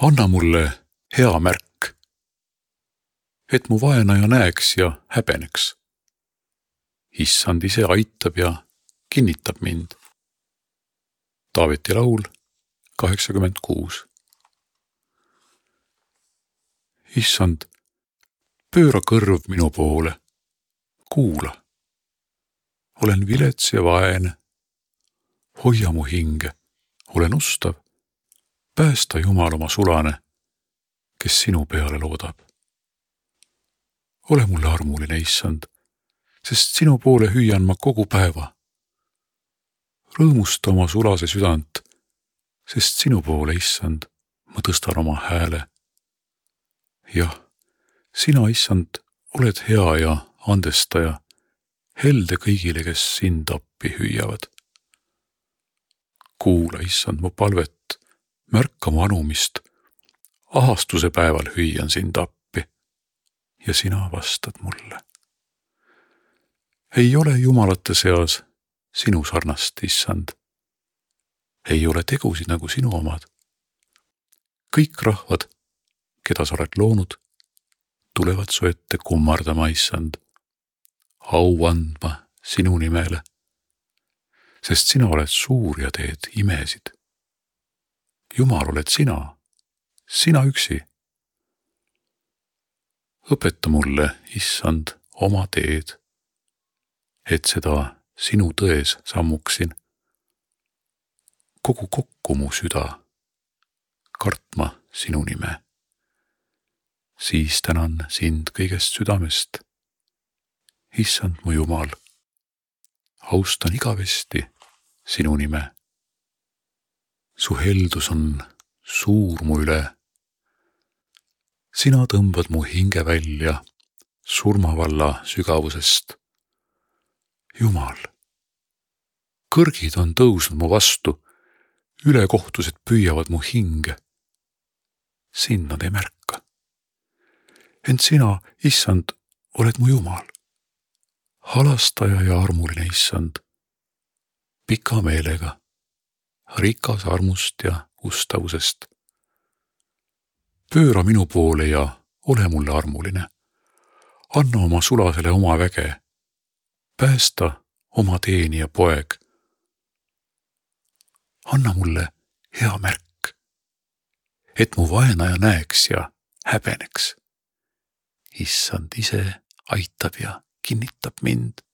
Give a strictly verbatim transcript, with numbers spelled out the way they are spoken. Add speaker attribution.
Speaker 1: Anna mulle hea märk, et mu vaenaja näeks ja häbeneks. Issand ise aitab ja kinnitab mind. Taaveti laul kaheksakümmend kuus. Issand, pööra kõrv minu poole, kuula. Olen vilets ja vaene, hoia mu hinge, olen ustav, päästa Jumal oma sulane, kes sinu peale loodab. Ole mulle armuline, Issand, sest sinu poole hüüan ma kogu päeva. Rõõmusta oma sulase südant, sest sinu poole, Issand, ma tõstan oma hääle. Jah, sina, Issand, oled hea ja andestaja, helde kõigile, kes sind appi hüüavad. Kuula, Issand, mu palvet, märka mu anumist, ahastuse päeval hüüan sind appi ja sina vastad mulle. Ei ole jumalate seas sinu sarnast, Issand. Ei ole tegusid nagu sinu omad. Kõik rahvad, keda sa oled loonud, tulevad su ette kummardama, Issand, au andma sinu nimele, sest sina oled suur ja teed imesid. Jumal oled sina, sina üksi. Õpeta mulle, Issand, oma teed, et seda sinu tões sammuksin. Kogu kokku mu süda, kartma sinu nime. Siis tänan sind kõigest südamest. Issand mu Jumal, austan igavesti sinu nime. Su heldus on suur mu üle. Sina tõmbad mu hinge välja surmavalla sügavusest. Jumal, kõrgid on tõusnud mu vastu, ülekohtused püüavad mu hinge. Sind nad ei märka. Ent sina, Issand, oled mu Jumal. Halastaja ja armuline, Issand, pika meelega, rikas armust ja ustavusest. Pööra minu poole ja ole mulle armuline. Anna oma sulasele oma väge. Päästa oma teenija poeg. Anna mulle hea märk, et mu vaenaja näeks ja häbeneks. Issand ise aitab ja kinnitab mind.